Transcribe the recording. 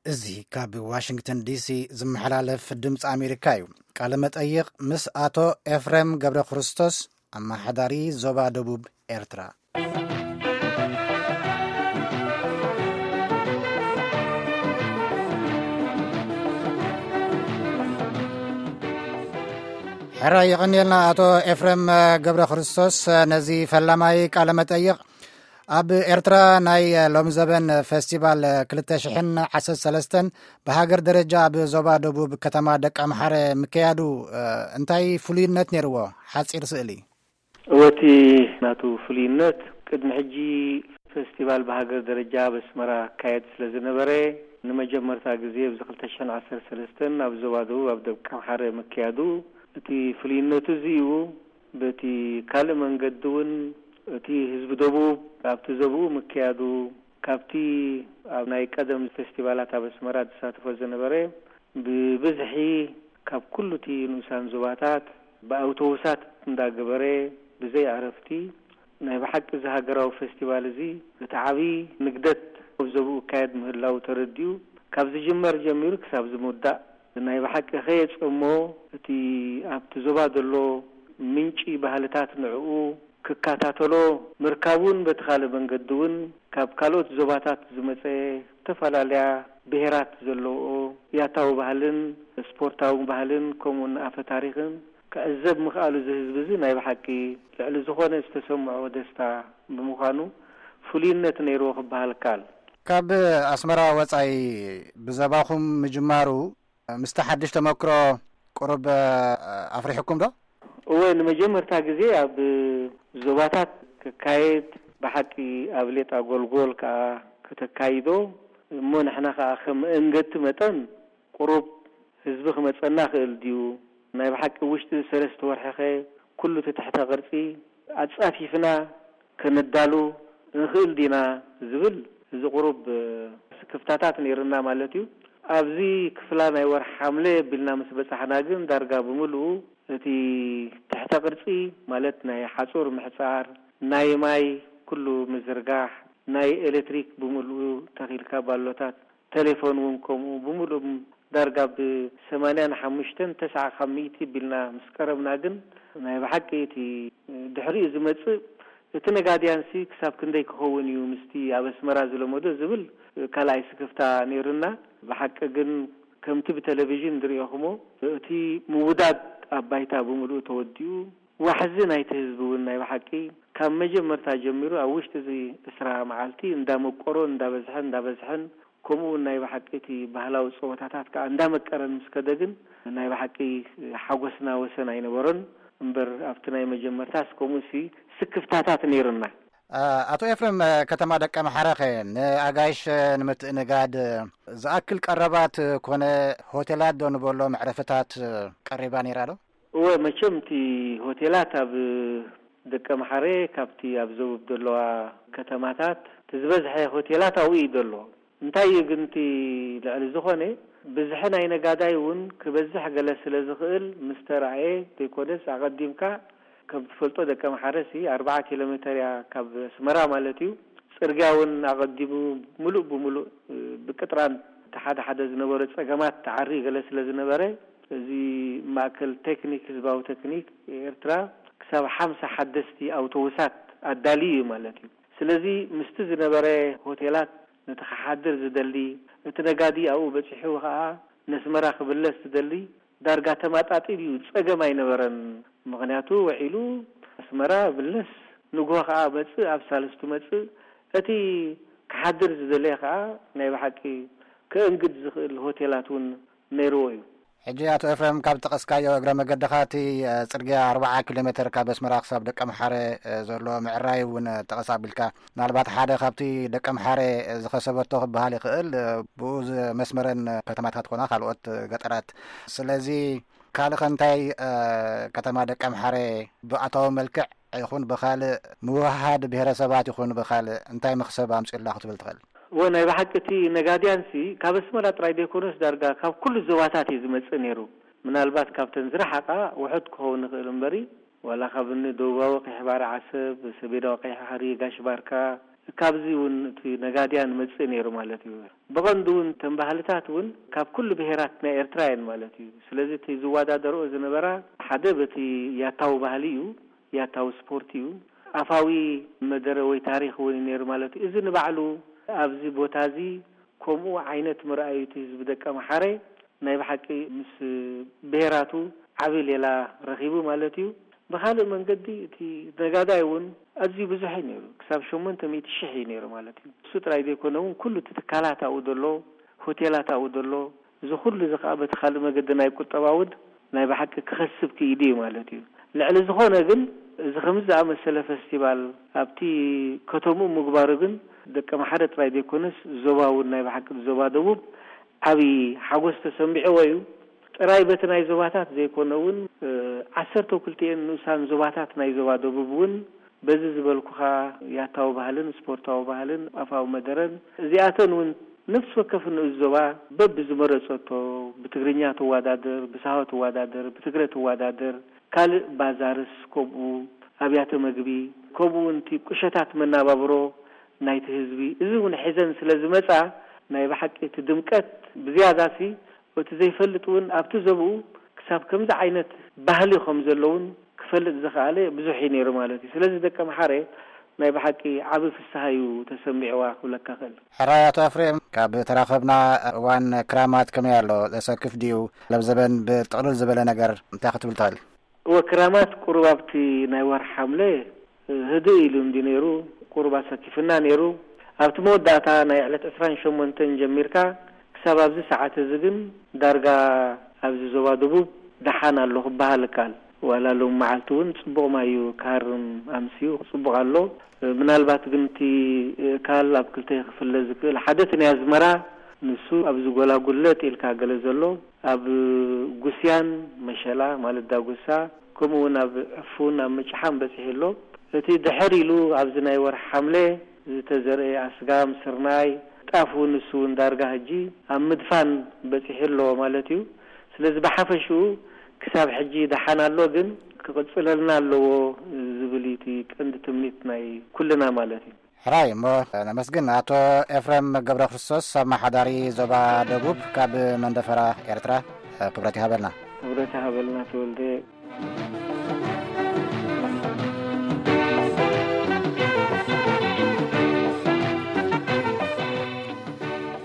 እዚ ካብ ዋሽንግተን ዲሲ ዝመሓላለፍ ድምፂ ኣሜሪካ እዩ። ቃለ መጠይቕ ምስ ኣቶ ኤፍሬም ገብረ ክርስቶስ፣ ኣመሓዳሪ ዞባ ደቡብ ኤርትራ። ሕራይ የቐንየልና ኣቶ ኤፍሬም ገብረ ክርስቶስ፣ ነዚ ፈላማይ ቃለ መጠይቕ። ኣብ ኤርትራ ናይ ሎምዘበን ፈስቲቫል ክልተ ሽሕን ዓሰርተ ሰለስተን ብሃገር ደረጃ ኣብ ዞባ ደቡብ ከተማ ደቀምሓረ ምክያዱ እንታይ ፍሉይነት ነይርዎ? ሓጺር ስእሊ። እወ፣ እቲ ናቱ ፍሉይነት፣ ቅድሚ ሕጂ ፈስቲቫል ብሃገር ደረጃ ኣብ ኣስመራ ክካየድ ስለ ዝነበረ፣ ንመጀመርታ ግዜ ኣብዚ ክልተ ሽሕን ዓሰርተ ሰለስተን ኣብ ዞባ ደቡብ ኣብ ደቀምሓረ ምክያዱ፣ እቲ ፍሉይነቱ እዚ እዩ። በቲ ካልእ መንገዲ እውን፣ እቲ ህዝቢ ደቡብ ኣብቲ ዞባኡ ምክያዱ፣ ካብቲ ኣብ ናይ ቀደም ፈስቲቫላት ኣብ ኣስመራ ዝሳተፎ ዝነበረ፣ ብብዝሒ ካብ ኩሉ እቲ ንኡሳን ዞባታት ብኣውቶቡሳት እንዳገበረ፣ ብዘይ ዕረፍቲ፣ ናይ ብሓቂ እዚ ሃገራዊ ፈስቲቫል እዚ፣ እቲ ዓቢ ንግደት ኣብ ዞባኡ ይካየድ ምህላዉ ተረዲኡ፣ ካብ ዝጅመር ጀሚሩ ክሳብ ዝምውዳእ፣ ናይ ብሓቂ ከየጸሞ፣ እቲ ኣብቲ ዞባ ዘሎ ምንጪ ባህልታት ንዕኡ ክከታተሎ ምርካቡን፣ በቲ ካልእ መንገዲ እውን ካብ ካልኦት ዞባታት ዝመጸ ዝተፈላለያ ብሄራት ዘለውኦ ያታዊ ባህልን ስፖርታዊ ባህልን ከምኡውን ኣፈ ታሪኽን ክዕዘብ ምኽኣሉ፣ እዚ ህዝቢ እዚ ናይ ብሓቂ ልዕሊ ዝኾነ ዝተሰምዖ ደስታ ብምዃኑ፣ ፍሉይነት ነይርዎ ክበሃል ይከኣል። ካብ ኣስመራ ወጻኢ ብዘባኹም ምጅማሩ፣ ምስቲ ሓድሽ ተመክሮ ቁሩብ ኣፍሪሕኩም ዶ? እወ፣ ንመጀመርታ ግዜ ኣብ ዞባታት ክካየድ፣ ብሓቂ ኣብ ሌጣ ጎልጎል ከኣ ከተካይዶ፣ እሞ ንሕና ከኣ ከም መእንገቲ መጠን ቁሩብ ህዝቢ ክመጸና ክእል ድዩ? ናይ ብሓቂ ውሽጢ ሰለስተ ወርሒኸ ኩሉ እቲ ትሕተ ቅርጺ ኣጻፊፍና ከነዳሉ ንኽእል ዲና ዝብል፣ እዚ ቁሩብ ስክፍታታት ነይርና ማለት እዩ። ኣብዚ ክፍላ ናይ ወርሒ ሓምለ ኣቢልና ምስ በጻሕና ግን ዳርጋ ብምልኡ እቲ ትሕተ ቅርጺ ማለት ናይ ሓጹር ምሕጻር፣ ናይ ማይ ኩሉ ምዝርጋሕ፣ ናይ ኤሌክትሪክ ብምልኡ ተኺልካ ባሎታት፣ ቴሌፎን እውን ከምኡ ብምሉእ ዳርጋ ብ ሰማንያን ሓሙሽተን ተስዓ ካብ ሚእቲ ቢልና ምስ ቀረብና ግን ናይ ብሓቂ እቲ ድሕሪኡ ዝመጽእ እቲ ነጋድያንሲ ክሳብ ክንደይ ክኸውን እዩ ምስቲ ኣብ ኣስመራ ዝለመዶ ዝብል ካልኣይ ስክፍታ ነይሩና። ብሓቂ ግን ከምቲ ብቴሌቪዥን ዝርኤኹሞ እቲ ምውዳድ ኣብ ባይታ ብምሉእ ተወዲኡ ዋሕዚ ናይቲ ህዝቢ እውን ናይ ብሓቂ ካብ መጀመርታ ጀሚሩ ኣብ ውሽጢ እዚ ዕስራ መዓልቲ እንዳመቆሮን እንዳበዝሐን እንዳበዝሐን ከምኡ እውን ናይ ብሓቂ እቲ ባህላዊ ጸወታታት ከኣ እንዳመቀረን ምስ ከደ ግን ናይ ብሓቂ ሓጎስና ወሰን ኣይነበሮን። እምበር ኣብቲ ናይ መጀመርታስ ከምኡሲ ስክፍታታት ነይሩና። ኣቶ ኤፍሬም፣ ከተማ ደቀ ምሓረ ኸ ንኣጋይሽ ንምትእንጋድ ዝኣክል ቀረባት ኮነ ሆቴላት ዶ ንበሎ መዕረፍታት ቀሪባ ነይራ ዶ? እወ፣ መቸም እቲ ሆቴላት ኣብ ደቀ ምሓረ ካብቲ ኣብ ዘቡብ ዘለዋ ከተማታት እቲ ዝበዝሐ ሆቴላት ኣብኡ እዩ ዘሎ። እንታይ እዩ ግን እቲ ልዕሊ ዝኾነ ብዝሒ ናይ ነጋዳይ እውን ክበዝሕ ገለ ስለ ዝኽእል ምስ ተራእየ ዘይኮነስ ኣቐዲምካ ከም ትፈልጦ ደቀ ምሓረሲ ኣርብዓ ኪሎ ሜተር እያ ካብ ኣስመራ ማለት እዩ። ጽርግያ እውን ኣቐዲሙ ምሉእ ብምሉእ ብቅጥራን እቲ ሓደ ሓደ ዝነበረ ጸገማት ተዓሪ ገለ ስለ ዝነበረ እዚ ማእከል ቴክኒክ ህዝባዊ ቴክኒክ ኤርትራ ክሳብ ሓምሳ ሓደስቲ ኣውቶቡሳት ኣዳልዩ እዩ ማለት እዩ። ስለዚ ምስቲ ዝነበረ ሆቴላት ነቲ ክሓድር ዝደሊ፣ እቲ ነጋዲ ኣብኡ በጺሑ ኸኣ ነስመራ ክብለስ ዝደሊ ዳርጋ ተማጣጢ ድዩ ጸገም ኣይነበረን። ምኽንያቱ ውዒሉ ኣስመራ ብለስ ንግሆ ኸኣ መጽእ ኣብ ሳልስቱ መጽእ እቲ ክሓድር ዝደለየ ኸኣ ናይ ብሓቂ ከእንግድ ዝኽእል ሆቴላት እውን ነይርዎ እዩ። ሕጂ ኣቶ ኤፍሬም ካብ ጠቐስካዮ እግረ መገድኻ እቲ ጽርግያ ኣርብዓ ኪሎ ሜተር ካብ ኣስመራ ክሳብ ደቀ ምሓረ ዘሎ ምዕራይ እውን ጠቐስ ኣቢልካ ምናልባት ሓደ ካብቲ ደቀ ምሓረ ዝኸሰበቶ ክበሃል ይኽእል ብኡ መስመረን ከተማታት ኮና ካልኦት ገጠራት። ስለዚ ካልእ ከ እንታይ ከተማ ደቀ ምሓረ ብኣታዊ መልክዕ ይኹን ብኻልእ ምውህሃድ ብሄረሰባት ይኹን ብኻልእ እንታይ መኽሰብ ኣምፅኡላ ክትብል ትኽእል? እወ፣ ናይ ብሓቂ እቲ ነጋድያንሲ ካብ ኣስመራ ጥራይ ዘይኮነስ ዳርጋ ካብ ኩሉ ዞባታት እዩ ዝመጽእ ነይሩ። ምናልባት ካብተን ዝረሓቓ ውሑድ ክኸውን ይኽእል እምበሪ፣ ዋላ ካብ እኒ ደቡባዊ ቀይሕ ባሕሪ ዓሰብ፣ ሰሜናዊ ቀይሕ ባሕሪ ጋሽ ባርካ፣ ካብዚ እውን እቲ ነጋድያን መጽእ ነይሩ ማለት እዩ። ብቐንዱ እውን እተን ባህልታት እውን ካብ ኩሉ ብሄራት ናይ ኤርትራ እየን ማለት እዩ። ስለዚ እቲ ዝወዳደርኦ ዝነበራ ሓደ በቲ ያታዊ ባህሊ እዩ፣ ያታዊ ስፖርት እዩ። ኣፋዊ መደረ ወይ ታሪኽ እውን እዩ ነይሩ ማለት እዩ። እዚ ንባዕሉ ኣብዚ ቦታ እዚ ከምኡ ዓይነት ምርኣዩ እቲ ህዝቢ ደቀ መሓረ ናይ ብሓቂ ምስ ብሄራቱ ዓቢ ሌላ ረኺቡ ማለት እዩ። ብኻልእ መንገዲ እቲ ነጋዳይ እውን ኣዝዩ ብዙሕ እዩ ነይሩ። ክሳብ ሸሞንተ ሚእቲ ሽሕ እዩ ነይሩ ማለት እዩ። እሱ ጥራይ ዘይኮነ እውን ኩሉ እቲ ትካላት ኣብኡ ዘሎ፣ ሆቴላት ኣብኡ ዘሎ፣ እዚ ኩሉ እዚ ከዓ በቲ ካልእ መገዲ ናይ ቁጠባ እውን ናይ ብሓቂ ክኸስብ ክኢሉ እዩ ማለት እዩ። ልዕሊ ዝኾነ ግን እዚ ከምዚ ዝኣመሰለ ፈስቲቫል ኣብቲ ከተምኡ ምግባሩ ግን ደቀ ማሓረ ጥራይ ዘይኮነስ ዞባ እውን ናይ ብሓቂ ዞባ ደቡብ ዓብዪ ሓጎስ ተሰሚዕዎ እዩ። ጥራይ በቲ ናይ ዞባታት ዘይኮነ እውን ዓሰርተ ክልቲኤን ንኡሳን ዞባታት ናይ ዞባ ደቡብ እውን በዚ ዝበልኩኻ ያታዊ ባህልን ስፖርታዊ ባህልን ኣፋዊ መደረን እዚኣተን እውን ነፍሲ ወከፍ ንኡስ ዞባ በብዝመረጸቶ ብትግርኛ ትወዳደር፣ ብሳሆ ትወዳደር፣ ብትግረ ትወዳደር፣ ካልእ ባዛርስ ከምኡ ኣብያተ መግቢ ከምኡ እውን እቲ ቁሸታት መናባብሮ ናይቲ ህዝቢ እዚ እውን ሒዘን ስለ ዝመጻ ናይ ብሓቂ እቲ ድምቀት ብዝያዳሲ እቲ ዘይፈልጥ እውን ኣብቲ ዘብኡ ክሳብ ከምዚ ዓይነት ባህሊ ከም ዘለውን ክፈልጥ ዝኸኣለ ብዙሕ እዩ ነይሩ ማለት እዩ። ስለዚ ደቀ መሓረ ናይ ብሓቂ ዓቢ ፍስሃ እዩ ተሰሚዕዋ ክብለካ ክእል። ሕራይ ኣቶ ኣፍሬም፣ ካብ ተራኸብና እዋን ክራማት ከመይ ኣሎ? ዘሰክፍ ድዩ? ለብዘበን ብጥቕልል ዝበለ ነገር እንታይ ክትብል ትኽእል? እወ ክራማት ቁሩብ ኣብቲ ናይ ወርሒ ሓምለ ህድእ ኢሉ እንዲ ነይሩ፣ ቁሩብ ኣሰኪፍና ነይሩ። ኣብቲ መወዳእታ ናይ ዕለት ዕስራን ሸሞንተን ጀሚርካ ክሳብ ኣብዚ ሰዓት እዚ ግን ዳርጋ ኣብዚ ዞባ ደቡብ ደሓን ኣሎ ክበሃል ይከኣል። ዋላ ሎም መዓልቲ እውን ጽቡቕ ማይ እዩ ክሃርም ኣምስዩ ጽቡቕ ኣሎ። ምናልባት ግን እቲ እካል ኣብ ክልተ ክፍለ ዝክእል ሓደ እቲ ናይ ኣዝመራ ንሱ ኣብዚ ጎላጉል ለጥ ኢልካ ገለ ዘሎ ኣብ ጉስያን መሸላ ማለት ዳጉሳ ከምኡ እውን ኣብ ዕፉን ኣብ ምጭሓም በፂሑ ኣሎ። እቲ ድሕር ኢሉ ኣብዚ ናይ ወርሒ ሓምለ ዝተዘርአ ኣስጋም፣ ስርናይ፣ ጣፍ እውን ንሱ እውን ዳርጋ ሕጂ ኣብ ምድፋን በፂሑ ኣሎ ማለት እዩ። ስለዚ ብሓፈሽኡ ክሳብ ሕጂ ደሓን ኣሎ፣ ግን ክቕፅለልና ኣለዎ ዝብል እዩ እቲ ቀንዲ ትምኒት ናይ ኩልና ማለት እዩ። ሕራይ እሞ ነመስግን ኣቶ ኤፍረም ገብረ ክርስቶስ ኣመሓዳሪ ዞባ ደቡብ ካብ መንደፈራ ኤርትራ። ክብረት ይሃበልና። ክብረት ይሃበልና ተወልደ።